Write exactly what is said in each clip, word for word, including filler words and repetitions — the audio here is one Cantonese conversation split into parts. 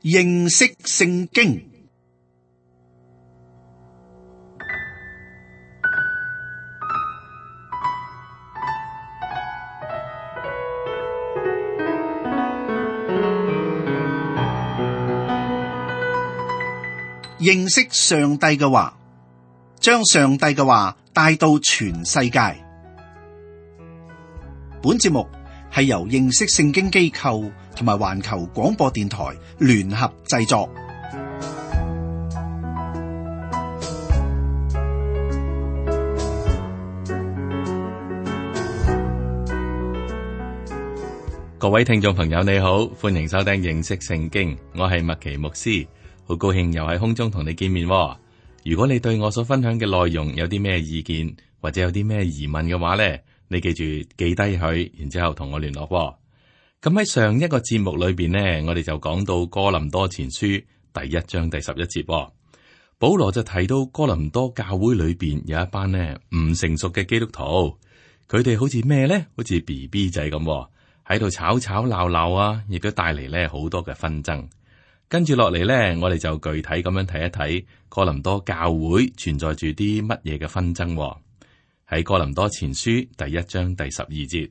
認識聖經。認識上帝嘅話，將上帝嘅話帶到全世界。本節目係由認識聖經機構同埋環球廣播電台聯合製作。各位聽眾朋友，你好，歡迎收聽認識聖經，我係麥奇牧師。好高興又喺空中同你見面。如果你對我所分享嘅內容有啲咩意見，或者有啲咩疑問嘅話呢，你記住記低佢，然之後同我聯絡。咁喺上一個節目裏邊呢，我哋就講到哥林多前書第一章第十一節，保羅就提到哥林多教會裏邊有一班呢唔成熟嘅基督徒，佢哋好似咩呢？好似 B B 仔咁喺度吵吵鬧鬧啊，亦都帶嚟呢好多嘅紛爭。跟住落嚟呢，我哋就具體咁樣睇一睇哥林多教會存在住啲乜嘢嘅紛爭。喺哥林多前書第一章第十二節，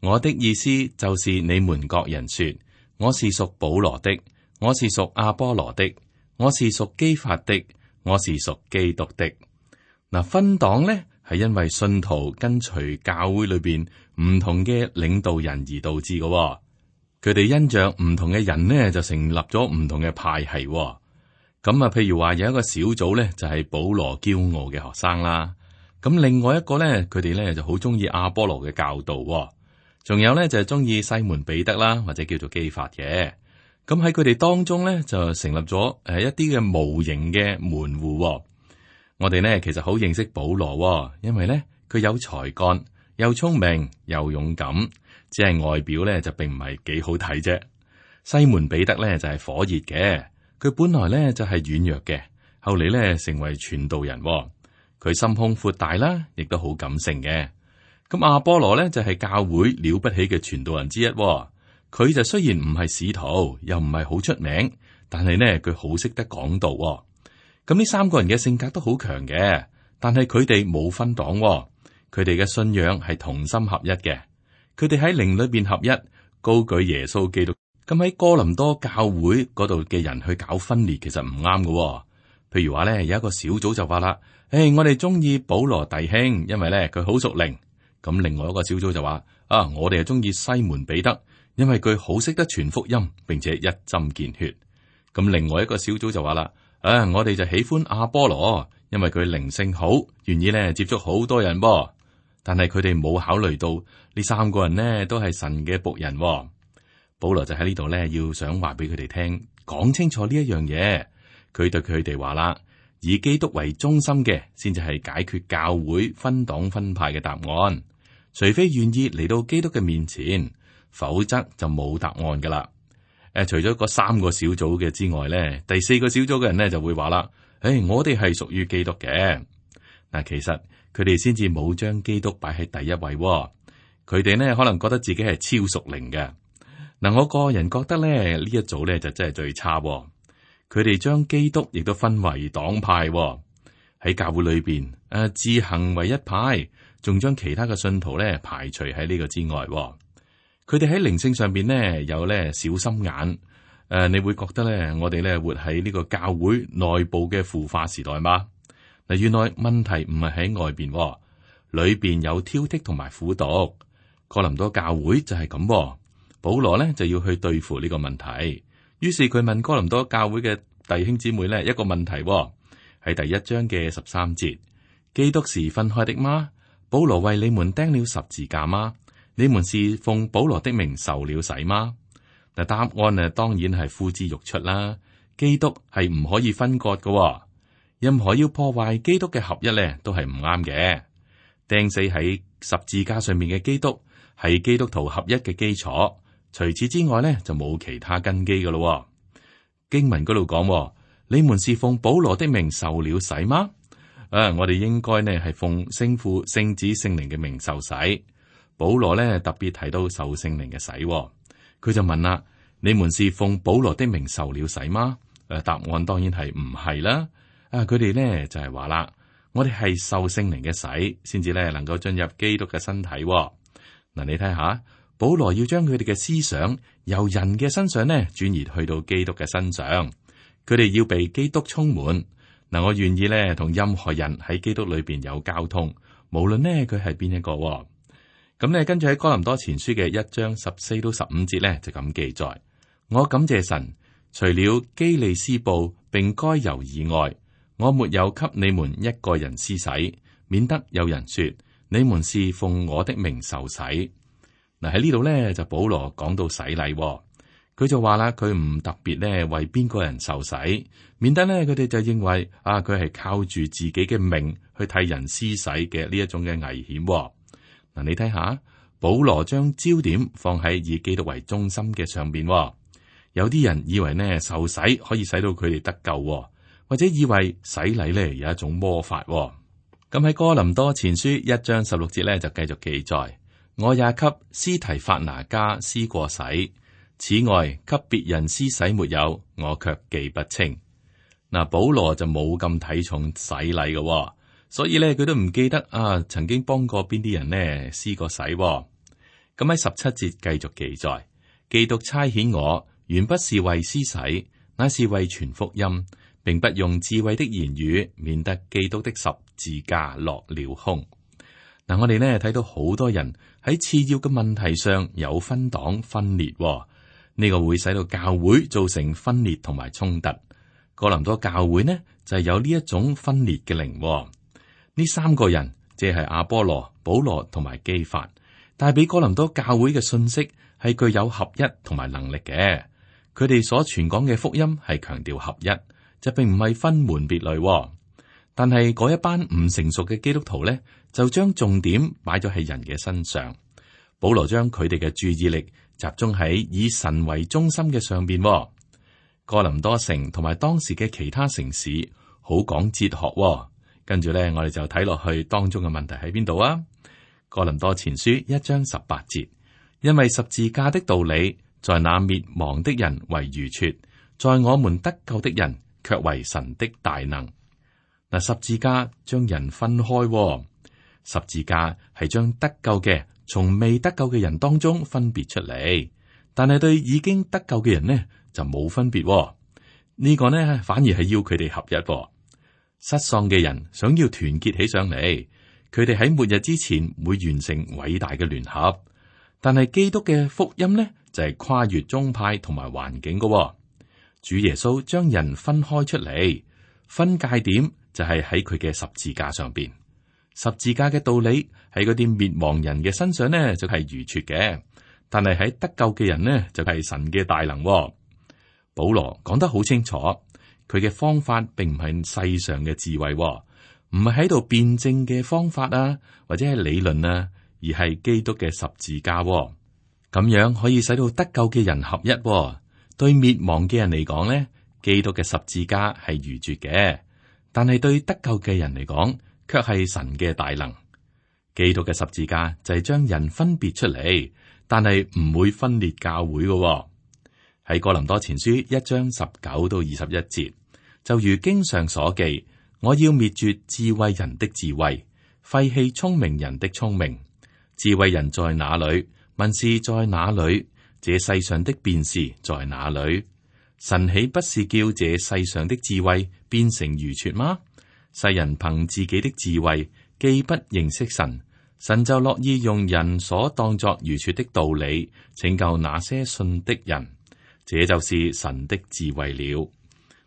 我的意思就是你們各人說，我是屬保羅的，我是屬阿波羅的，我是屬基法的，我是屬基督的。嗱，分黨呢係因為信徒跟隨教會裏邊唔同嘅領導人而導致嘅。佢哋因着唔同嘅人呢，就成立咗唔同嘅派系。咁啊，譬如話有一個小組呢，就係保羅驕傲嘅學生啦。咁另外一個呢，佢哋呢就好中意阿波羅嘅教導。仲有呢，就係中意西門彼得啦，或者叫做基法嘅。咁喺佢哋當中呢，就成立咗誒一啲嘅無形嘅門戶。我哋呢，其實好認識保羅，因為呢，佢有才幹，又聰明，又勇敢。只係外表咧就並唔係幾好睇啫。西門彼得咧就係火熱嘅，佢本來咧就係軟弱嘅，後嚟咧成為傳道人。佢心胸闊大啦，亦都好感性嘅。咁阿波羅咧就係教會了不起嘅傳道人之一。佢就雖然唔係使徒，又唔係好出名，但係呢，佢好識得講道。咁呢三個人嘅性格都好強嘅，但係佢哋冇分黨，佢哋嘅信仰係同心合一嘅。佢哋喺靈裏邊合一，高舉耶穌基督。咁喺哥林多教會嗰度嘅人去搞分裂，其實唔啱嘅。譬如話咧，有一個小組就話啦：誒、hey，我哋中意保羅弟兄，因為咧佢好屬靈。咁另外一個小組就話：啊，我哋係中意西門彼得，因為佢好識得傳福音，並且一針見血。咁另外一個小組就話啦：啊，我哋就喜歡阿波羅，因為佢靈性好，願意咧接觸好多人噃。但係佢哋冇考慮到呢三個人呢都係神嘅僕人。保羅就喺呢度呢，要想話俾佢哋聽，講清楚呢一樣嘢。佢對佢哋話啦，以基督為中心嘅，先至係解決教會分黨分派嘅答案。除非願意嚟到基督嘅面前，否則就冇答案噶啦。誒，除咗嗰三個小組嘅之外呢，第四個小組嘅人呢就會話啦：誒，我哋係屬於基督嘅。嗱，其實。佢哋先至冇將基督擺喺第一位。佢哋呢可能覺得自己係超屬靈嘅。嗱，我個人覺得咧，呢一組咧就真係最差。佢哋將基督亦都分為黨派喺教會裏邊，誒自行為一派，仲將其他嘅信徒咧排除喺呢個之外。佢哋喺靈性上邊呢有咧小心眼。誒，你會覺得咧，我哋咧活喺呢個教會內部嘅腐化時代嗎？嗱，原來問題唔係喺外邊，裏邊有挑剔同埋苦毒。哥林多教會就係咁，保羅咧就要去對付呢個問題。於是佢問哥林多教會嘅弟兄姊妹咧一個問題，喺第一章嘅十三節：基督是分開的嗎？保羅為你們釘了十字架嗎？你們是奉保羅的名受了洗嗎？嗱，答案啊，當然係呼之欲出啦。基督係唔可以分割嘅。任何要破壞基督嘅合一咧，都係唔啱嘅。釘死喺十字架上面嘅基督係基督徒合一嘅基礎，除此之外咧就冇其他根基噶咯。經文嗰度講：你們是奉保羅的名受了洗嗎？啊，我哋應該呢係奉聖父、聖子、聖靈嘅名受洗。保羅咧特別提到受聖靈嘅洗，佢就問啦：你們是奉保羅的名受了洗嗎？誒，答案當然係唔係啦。啊，佢哋咧就係話啦，我哋係受聖靈嘅洗，先至咧能夠進入基督嘅身體。嗱，你睇下，保羅要將佢哋嘅思想由人嘅身上咧轉移去到基督嘅身上，佢哋要被基督充滿。嗱，我願意咧同任何人喺基督裏邊有交通，無論呢佢係邊一個。咁咧跟住喺哥林多前書嘅一章十四到十五節咧就咁記載：我感謝神，除了基利斯布並該猶以外，我沒有給你們一個人施洗，免得有人說你們是奉我的名受洗。嗱，喺呢度咧就保羅講到洗禮。佢就話啦，佢唔特別咧為邊個人受洗，免得咧佢哋就認為啊，佢係靠住自己嘅命去替人施洗嘅呢一種嘅危險。嗱，你睇下，保羅將焦點放喺以基督為中心嘅上邊。有啲人以為呢受洗可以使到佢哋得救，或者以為洗禮咧有一種魔法。咁喺哥林多前書一章十六節咧就繼續記載：我也給司提法拿家施過洗。此外，給別人施洗沒有，我卻記不清。嗱，保羅就冇咁睇重洗禮嘅，所以咧佢都唔記得啊，曾經幫過邊啲人呢施過洗。咁喺十七節繼續記載：基督差遣我，原不是為施洗，乃是為傳福音，並不用智慧的言語，免得基督的十字架落了空。嗱，我哋呢睇到好多人喺次要嘅問題上有分黨分裂。呢個會使到教會造成分裂同埋衝突。哥林多教會呢就係有呢一種分裂嘅靈。呢三個人即係阿波羅、保羅同埋基法，帶俾哥林多教會嘅信息係具有合一同埋能力嘅。佢哋所傳講嘅福音係強調合一，就並唔係分門別類。但係嗰一班唔成熟嘅基督徒呢，就將重點擺咗喺人嘅身上。保羅將佢哋嘅注意力集中喺以神為中心嘅上邊。哥林多城同埋當時嘅其他城市好講哲學。跟住咧，我哋就睇落去當中嘅問題喺邊度啊？哥林多前書一章十八節，因為十字架的道理，在那滅亡的人為愚拙，在我們得救的人卻為神的大能。嗱，十字架將人分開，十字架係將得救嘅從未得救嘅人當中分別出嚟，但係對已經得救嘅人呢就冇分別。呢個呢反而係要佢哋合一。失喪嘅人想要團結起上嚟，佢哋喺末日之前會完成偉大嘅聯合。但係基督嘅福音呢就係跨越宗派同埋環境嘅。主耶穌將人分開出嚟，分界點就係喺佢嘅十字架上邊。十字架嘅道理喺嗰啲滅亡人嘅身上呢就係愚拙嘅，但係喺得救嘅人呢就係神嘅大能。保羅講得好清楚，佢嘅方法並唔係世上嘅智慧，唔係喺度辯證嘅方法啊，或者係理論啊，而係基督嘅十字架。咁樣可以使到得救嘅人合一。對滅亡嘅人嚟講呢，基督嘅十字架係愚拙嘅，但係對得救嘅人嚟講，卻係神嘅大能。基督嘅十字架就係將人分別出嚟，但係唔會分裂教會嘅。喺哥林多前書一章十九到二十一節，就如經上所記，我要滅絕智慧人的智慧，廢棄聰明人的聰明。智慧人在哪裏？文士在哪裏？這世上的辯士在哪裏？神豈不是叫這世上的智慧變成愚拙嗎？世人憑自己的智慧，既不認識神，神就樂意用人所當作愚拙的道理拯救那些信的人。這就是神的智慧了。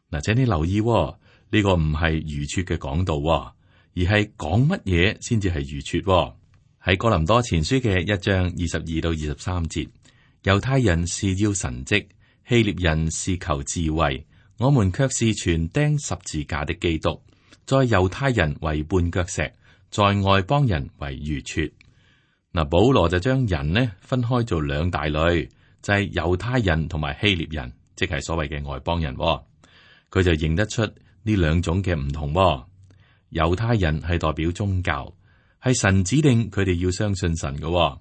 嗱，請你留意喎，呢個唔係愚拙嘅講道喎，而係講乜嘢先至係愚拙喎。喺哥林多前書嘅一章二十二到二十三節，猶太人是要神蹟，希臘人是求智慧，我們卻是傳釘十字架的基督，在猶太人為絆腳石，在外邦人為愚拙。嗱，保羅就將人呢分開做兩大類。就係猶太人同埋希臘人，即係所謂嘅外邦人。佢就認得出呢兩種嘅唔同。猶太人係代表宗教，係神指定佢哋要相信神嘅。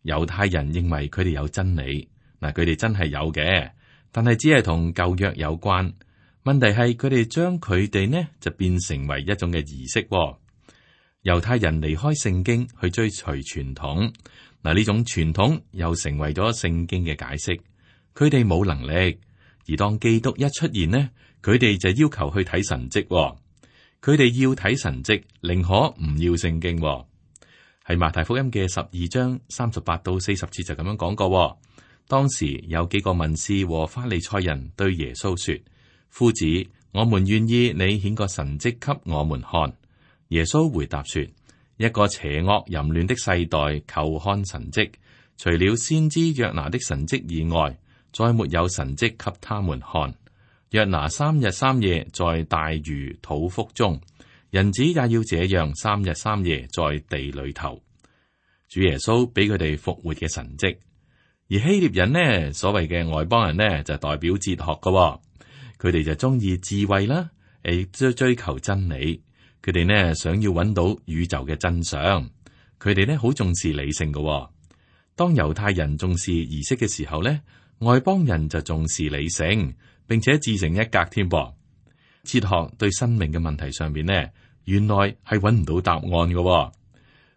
猶太人認為佢哋有真理，嗱，佢哋真係有嘅，但係只係同舊約有關。問題係佢哋將佢哋呢就變成為一種嘅儀式。猶太人離開聖經去追隨傳統，嗱，呢種傳統又成為咗聖經嘅解釋。佢哋冇能力，而當基督一出現呢，佢哋就要求去睇神蹟。佢哋要睇神蹟，寧可唔要聖經。喺馬太福音嘅十二章三十八到四十節就咁樣講過。當時有幾個文士和法利賽人對耶穌說：夫子，我們願意你顯個神蹟給我們看。耶穌回答說：一個邪惡淫亂的世代求看神蹟，除了先知約拿的神蹟以外，再沒有神蹟給他們看。約拿三日三夜在大魚肚腹中，人子也要這樣三日三夜在地裏頭。主耶穌俾佢哋復活嘅神蹟，而希臘人呢，所謂嘅外邦人呢，就代表哲學噶，佢哋就中意智慧啦，誒，追追求真理。佢哋呢想要揾到宇宙嘅真相，佢哋呢好重視理性噶。當猶太人重視儀式嘅時候呢，外邦人就重視理性，並且自成一格添噃。哲學對生命嘅問題上邊呢，原來係揾唔到答案嘅。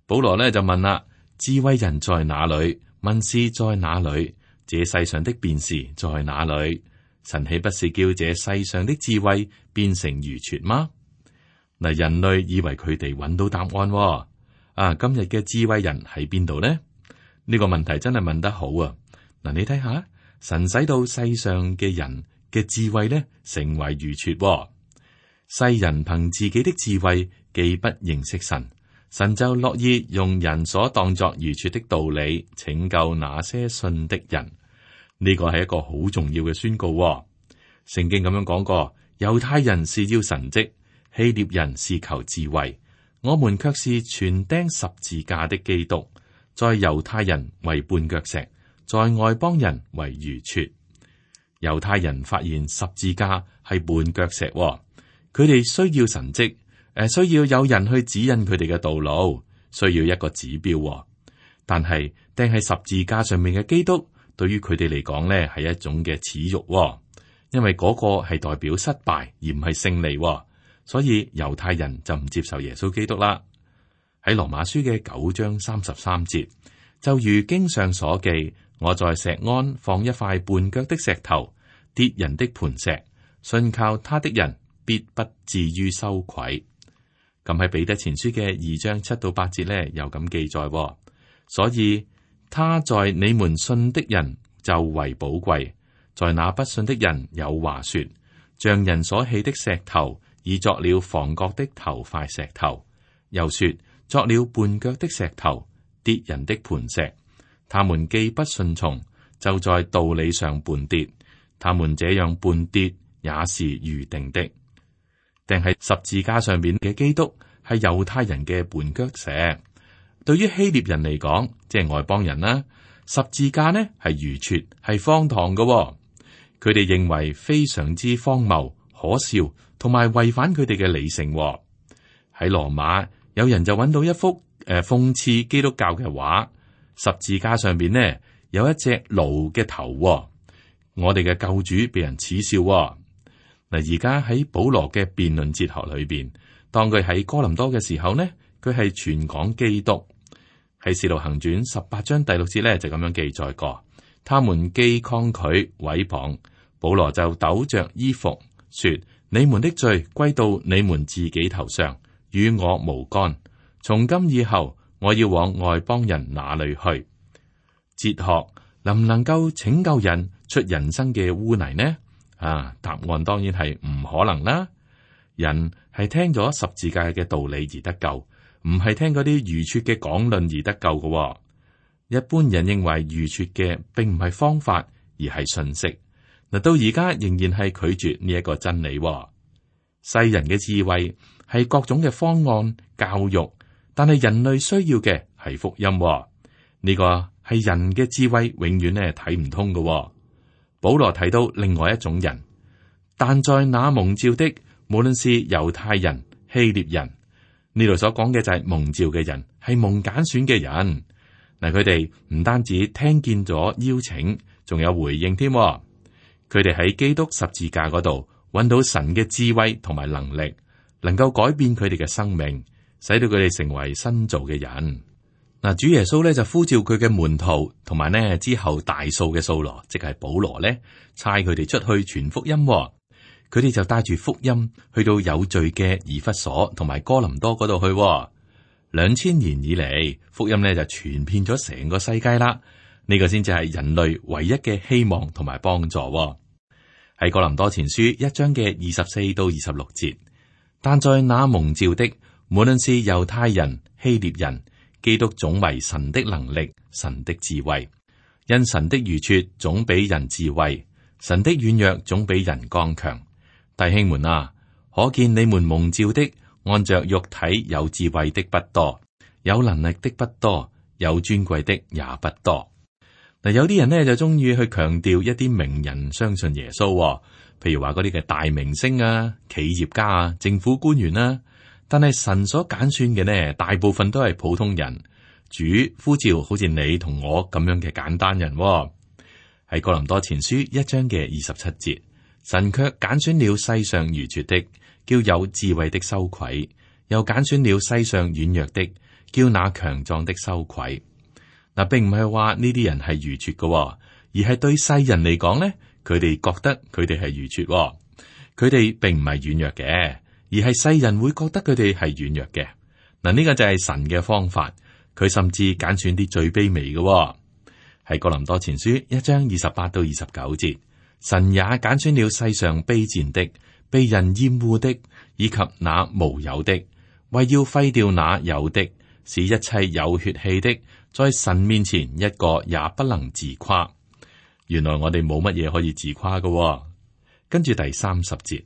保羅呢就問啦：智慧人在哪裏？文士在哪裏？這世上的辯士在哪裏？神豈不是叫這世上的智慧變成愚拙嗎？嗱，人類以為佢哋揾到答案。啊，今日嘅智慧人喺邊度呢？呢個問題真係問得好啊！嗱，你睇下，神使到世上嘅人嘅智慧呢，成為愚拙。世人憑自己的智慧，既不認識神，神就樂意用人所當作愚拙的道理拯救那些信的人。呢個係一個好重要嘅宣告。聖經咁樣講過，猶太人是要神蹟，希臘人是求智慧，我們卻是傳釘十字架的基督，在猶太人為絆腳石，在外邦人為愚拙。猶太人發現十字架係絆腳石，佢哋需要神蹟，誒，需要有人去指引佢哋嘅道路，需要一個指標。但係釘喺十字架上面嘅基督，對於佢哋嚟講呢係一種嘅恥辱，因為嗰個係代表失敗而唔係勝利。所以猶太人就唔接受耶穌基督啦。喺羅馬書嘅九章三十三節，就如經上所記，我在錫安放一塊絆腳的石頭，跌人的磐石，信靠他的人必不至於羞愧。咁喺彼得前書嘅二章七到八節呢，又咁記載。所以他在你們信的人就為寶貴，在那不信的人有話說，像人所棄的石頭，已作了房角的頭塊石頭，又說作了絆腳的石頭，跌人的磐石。他們既不順從，就在道理上絆跌。他們這樣絆跌，也是預定的。定係十字架上面嘅基督係猶太人嘅絆腳石，對於希臘人嚟講，即係外邦人啦，十字架呢係愚拙，係荒唐嘅。佢哋認為非常之荒謬、可笑，同埋違反佢哋嘅理性。喺羅馬，有人就揾到一幅誒諷刺基督教嘅畫，十字架上邊呢有一隻驢嘅頭。我哋嘅救主被人恥笑。嗱，而家喺保羅嘅辯論哲學裏邊，當佢喺哥林多嘅時候呢，佢係傳講基督。喺使徒行傳十八章第六節呢，就咁樣記載過，他們既抗拒毀謗，保羅就抖着衣服說：你們的罪歸到你們自己頭上，與我無干。從今以後，我要往外邦人那裏去。哲學能唔能夠拯救人出人生嘅污泥呢？啊，答案當然係唔可能啦。人係聽咗十字架嘅道理而得救，唔係聽嗰啲愚拙嘅講論而得救嘅。一般人認為愚拙嘅並唔係方法，而係信息。嗱，到而家仍然係拒絕呢一個真理。世人嘅智慧係各種嘅方案教育，但係人類需要嘅係福音。呢個係人嘅智慧永遠咧睇唔通嘅。保羅提到另外一種人，但在那蒙召的，無論是猶太人、希臘人，呢度所講嘅就係蒙召嘅人，係蒙揀選嘅人。嗱，佢哋唔單止聽見咗邀請，仲有回應添。佢哋喺基督十字架嗰度揾到神嘅智慧同埋能力，能夠改變佢哋嘅生命，使到佢哋成為新造嘅人。嗱，主耶穌咧就呼召佢嘅門徒，同埋呢之後大數嘅掃羅，即係保羅咧，差佢哋出去傳福音。佢哋就帶住福音去到有罪嘅以弗所同埋哥林多嗰度去。兩千年以嚟，福音咧就傳遍咗成個世界啦。呢個先至係人類唯一嘅希望同埋幫助。喺哥林多前書一章嘅二十四到二十六節，但在那蒙召的，無論是猶太人、希臘人，基督總為神的能力、神的智慧，因神的愚拙總比人智慧，神的軟弱總比人剛強。弟兄們啊，可見你們蒙召的，按着肉體有智慧的不多，有能力的不多，有尊貴的也不多。嗱，有啲人呢就中意去強調一啲名人相信耶穌，譬如話嗰啲嘅大明星啊、企業家啊、政府官員啊。但係神所揀選嘅呢，大部分都係普通人。主呼召好似你同我咁樣嘅簡單人。喺哥林多前書一章嘅二十七節，神卻揀選了世上愚拙的，叫有智慧的羞愧；又揀選了世上軟弱的，叫那強壯的羞愧。嗱，並唔係話呢啲人係愚拙嘅，而係對世人嚟講呢，佢哋覺得佢哋係愚拙，佢哋並唔係軟弱嘅。而係世人會覺得佢哋係軟弱嘅。嗱，呢個就係神嘅方法，佢甚至揀選啲最卑微嘅。喺哥林多前書一章二十八到二十九節，神也揀選了世上卑賤的、被人厭惡的，以及那無有的，為要廢掉那有的，使一切有血氣的，在神面前一個也不能自誇。原來我哋冇乜嘢可以自誇嘅。跟住第三十節。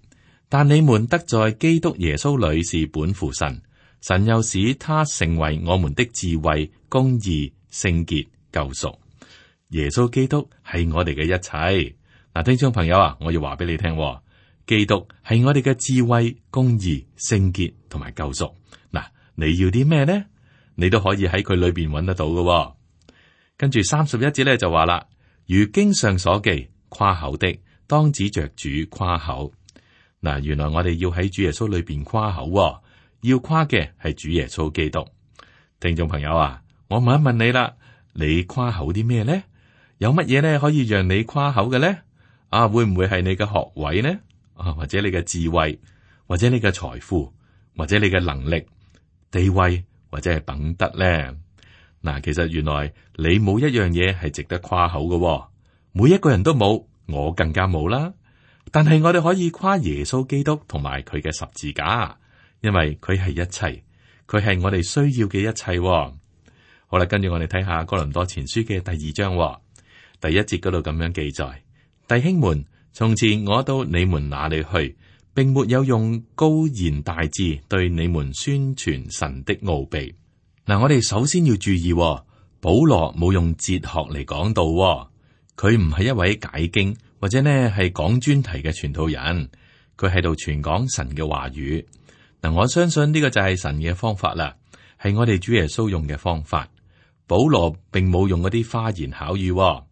但你們得在基督耶穌裏是本乎神，神又使他成為我們的智慧、公義、聖潔、救贖。耶穌基督係我哋嘅一切。嗱，聽眾朋友啊，我要話俾你聽，基督係我哋嘅智慧、公義、聖潔同埋救贖。嗱，你要啲咩呢？你都可以喺佢裏邊揾得到嘅。跟住三十一節咧就話啦，如經上所記，誇口的當指着主誇口。嗱，原來我哋要喺主耶穌裏邊誇口，要誇嘅係主耶穌基督。聽眾朋友啊，我問一問你啦，你誇口啲咩呢？有乜嘢咧可以讓你誇口嘅咧？啊，會唔會係你嘅學位呢？啊，或者你嘅智慧，或者你嘅財富，或者你嘅能力、地位，或者係品德咧？嗱，其實原來你冇一樣嘢係值得誇口嘅，每一個人都冇，我更加冇啦。但係我哋可以誇耶穌基督同埋佢嘅十字架，因為佢係一切，佢係我哋需要嘅一切。好啦，跟住我哋睇下哥林多前書嘅第二章第一節嗰度咁樣記載：弟兄們，從前我到你們那裏去，並沒有用高言大智對你們宣傳神的奧秘。嗱，我哋首先要注意，保羅冇用哲學嚟講道，佢唔係一位解經或者呢係講專題嘅傳道人，佢喺度傳講神嘅話語。嗱，我相信呢個就係神嘅方法啦，係我哋主耶穌用嘅方法。保羅並冇用嗰啲花言巧語。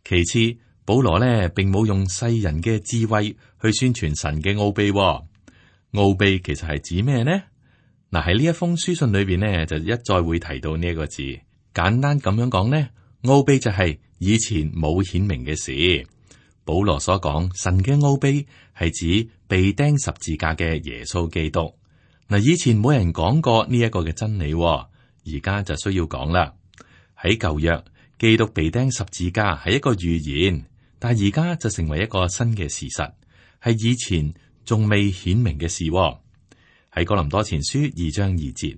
其次，保羅呢並冇用世人嘅智慧去宣傳神嘅奧秘。奧秘其實係指咩呢？嗱，喺呢一封書信裏邊呢，就一再會提到呢一個字。簡單咁樣講呢，奧秘就係以前冇顯明嘅事。保羅所講神嘅奧秘係指被釘十字架嘅耶穌基督。嗱，以前冇人講過呢一個嘅真理，而家就需要講啦。喺舊約，基督被釘十字架係一個預言，但係而家就成為一個新嘅事實，係以前仲未顯明嘅事。喺哥林多前書二章二節，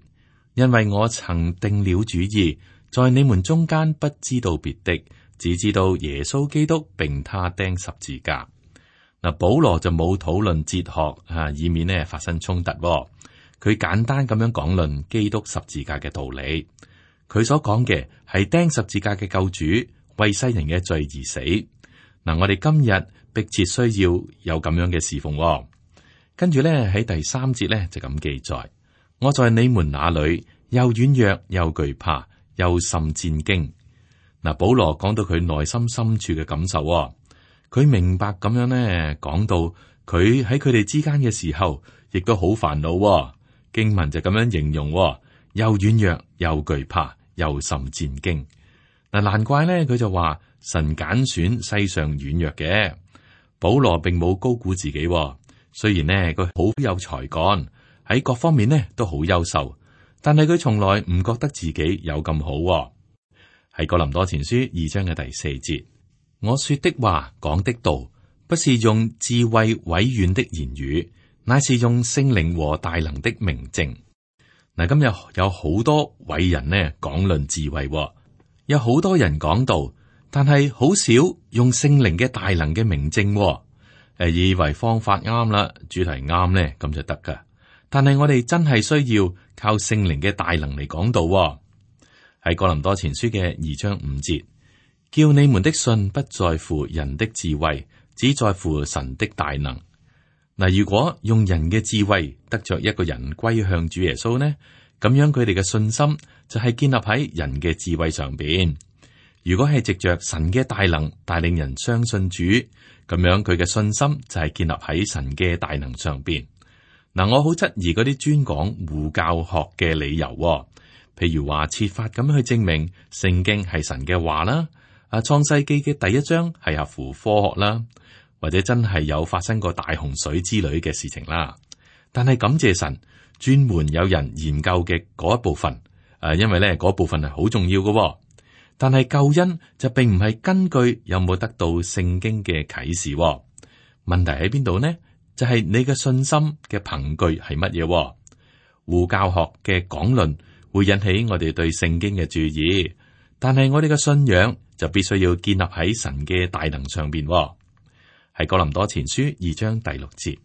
因為我曾定了主意，在你們中間不知道別的，只知道耶穌基督並他釘十字架。嗱，保羅就冇討論哲學啊，以免呢發生衝突。佢簡單咁樣講論基督十字架嘅道理。佢所講嘅係釘十字架嘅救主為世人嘅罪而死。嗱，我哋今日迫切需要有咁樣嘅侍奉。跟住咧喺第三節咧就咁記載：我在你們那裏又軟弱又懼怕又甚戰驚。嗱，保羅講到佢內心深處嘅感受，佢明白咁樣咧，講到佢喺佢哋之間嘅時候，亦都好煩惱。經文就咁樣形容，又軟弱又懼怕又甚戰驚。嗱，難怪咧，佢就話神揀選世上軟弱嘅。保羅並冇高估自己，雖然呢，佢好有才幹，喺各方面呢都好優秀，但係佢從來唔覺得自己有咁好。喺哥林多前書二章嘅第四節，我說的話講的道，不是用智慧委婉的言語，乃是用聖靈和大能的明證。嗱，今日有好多偉人呢講論智慧，有好多人講道，但係好少用聖靈嘅大能嘅明證。誒，以為方法啱啦，主題啱呢，咁就得噶。但係我哋真係需要靠聖靈嘅大能嚟講道。喺哥林多前書嘅二章五節，叫你們的信不在乎人的智慧，只在乎神的大能。嗱，如果用人嘅智慧得着一個人歸向主耶穌呢，咁樣佢哋嘅信心就係建立喺人嘅智慧上邊。如果係藉着神嘅大能帶領人相信主，咁樣佢嘅信心就係建立喺神嘅大能上邊。嗱，我好質疑嗰啲專講護教學嘅理由。譬如話設法咁去證明聖經係神嘅話啦，啊創世記嘅第一章係合乎科學啦，或者真係有發生過大洪水之類嘅事情啦。但係感謝神，專門有人研究嘅嗰一部分，誒，因為咧嗰部分係好重要嘅。但係救恩就並唔係根據有冇得到聖經嘅啟示。問題喺邊度呢？就係你嘅信心嘅憑據係乜嘢？護教學嘅講論會引起我哋對聖經嘅注意，但係我哋嘅信仰就必須要建立喺神嘅大能上邊。喺哥林多前書二章第六節，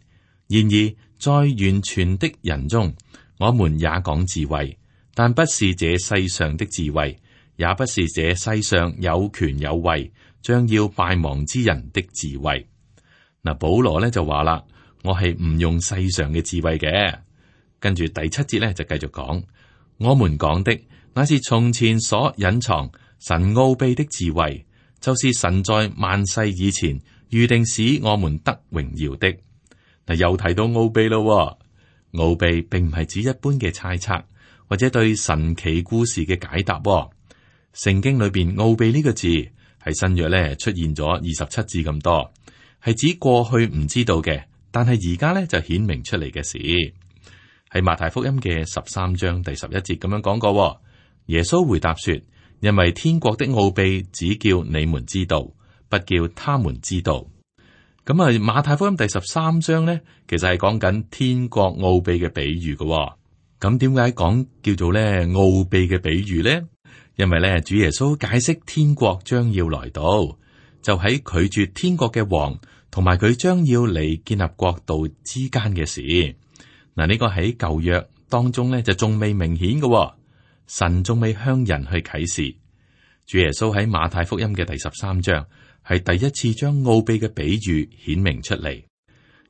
然而在完全的人中，我們也講智慧，但不是這世上的智慧，也不是這世上有權有位，將要敗亡之人的智慧。嗱，保羅咧就話啦，我係唔用世上嘅智慧嘅。跟住第七節咧就繼續講。我們講的乃是從前所隱藏神奧秘的智慧，就是神在萬世以前預定使我們得榮耀的。嗱，又提到奧秘咯，奧秘並唔係指一般嘅猜測或者對神奇故事嘅解答。聖經裏邊奧秘呢個字係新約咧出現咗二十七字咁多，係指過去唔知道嘅，但係而家咧就顯明出嚟嘅事。喺馬太福音嘅十三章第十一節咁樣講過，耶穌回答說：因為天國的奧秘只叫你們知道，不叫他們知道。咁啊，馬太福音第十三章呢，其實係講緊天國奧秘嘅比喻嘅。咁點解講叫做咧奧秘嘅比喻呢？因為咧主耶穌解釋天國將要來到，就喺拒絕天國嘅王同埋佢將要嚟建立國度之間嘅事。嗱，呢個喺舊約當中咧就仲未明顯嘅，神仲未向人去啟示。主耶穌喺馬太福音嘅第十三章係第一次將奧秘嘅比喻顯明出嚟。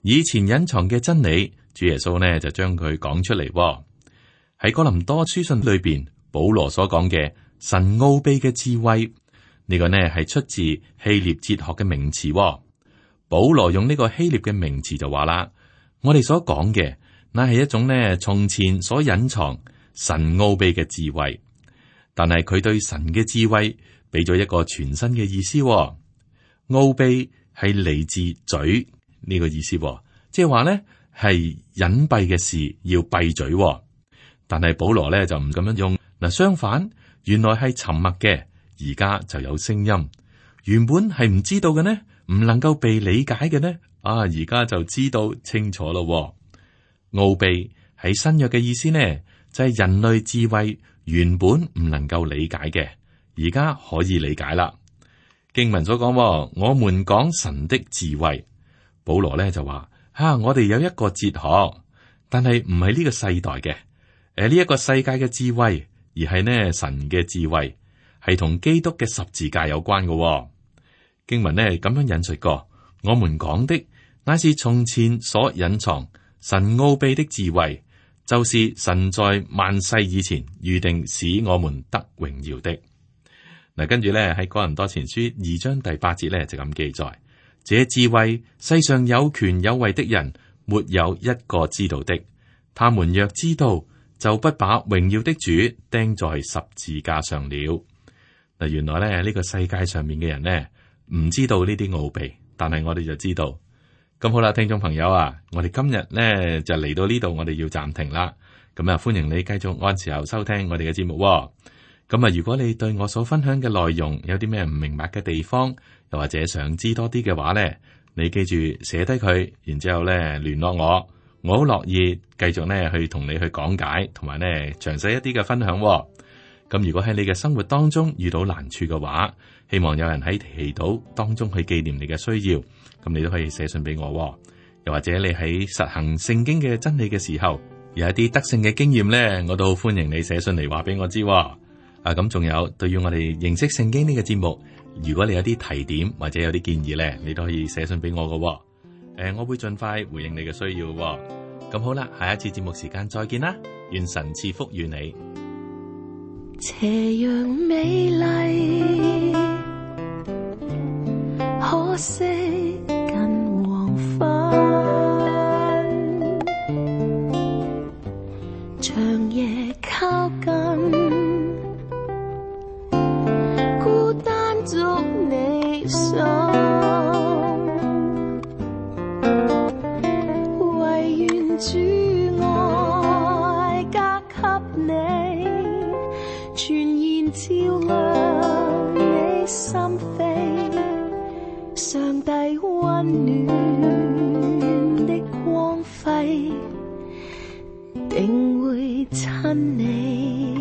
以前隱藏嘅真理，主耶穌呢就將佢講出嚟。喺哥林多書信裏邊，保羅所講嘅神奧秘嘅智慧，呢個呢係出自希臘哲學嘅名詞。保羅用呢個希臘嘅名詞就話啦，我哋所講嘅。那係一種呢，從前所隱藏神奧秘嘅智慧，但係佢對神嘅智慧俾咗一個全新嘅意思。奧秘係嚟自嘴呢個意思，即係話呢係隱蔽嘅事要閉嘴。但係保羅呢就唔咁樣用。嗱，相反，原來係沉默嘅，而家就有聲音。原本係唔知道嘅呢，唔能夠被理解嘅呢，啊，而家就知道清楚咯。奧秘喺新約嘅意思呢，就係人類智慧原本唔能夠理解嘅，而家可以理解啦。經文所講，我們講神的智慧，保羅咧就話：吓、啊，我哋有一個哲學，但係唔係呢個世代嘅，誒呢一個世界嘅智慧，而係呢神嘅智慧，係同基督嘅十字架有關嘅。經文呢咁樣引述過：我們講的乃是從前所隱藏。神奧秘的智慧，就是神在萬世以前預定使我們得榮耀的。嗱，跟住咧喺哥林多前書二章第八節咧就咁記載：這智慧世上有權有位的人，沒有一個知道的。他們若知道，就不把榮耀的主釘在十字架上了。嗱，原來咧呢個世界上面嘅人呢，唔知道呢啲奧秘，但係我哋就知道。咁好啦，聽眾朋友啊，我哋今日呢就嚟到呢度，我哋要暫停啦。咁啊，歡迎你繼續按時候收聽我哋嘅節目。咁啊，如果你對我所分享嘅內容有啲咩唔明白嘅地方，又或者想知多啲嘅話呢，你記住寫低佢，然之後咧聯絡我，我好樂意繼續呢去同你去講解，同埋呢詳細一啲嘅分享。咁如果喺你嘅生活當中遇到難處嘅話，希望有人喺祈禱當中去紀念你嘅需要，咁你都可以寫信俾我。又或者你喺實行聖經嘅真理嘅時候，有一啲得勝嘅經驗呢，我都好歡迎你寫信嚟話俾我知。啊，咁仲有對於我哋認識聖經呢個節目，如果你有啲提點或者有啲建議呢，你都可以寫信俾我噶。誒、呃，我會盡快回應你嘅需要。咁好啦，下一次節目時間再見啦，願神賜福與你。斜陽美麗，可惜近黃昏，長夜靠近，孤單捉你手，唯願主愛加給你，全然照亮你心扉，上帝溫暖的光輝定會親你。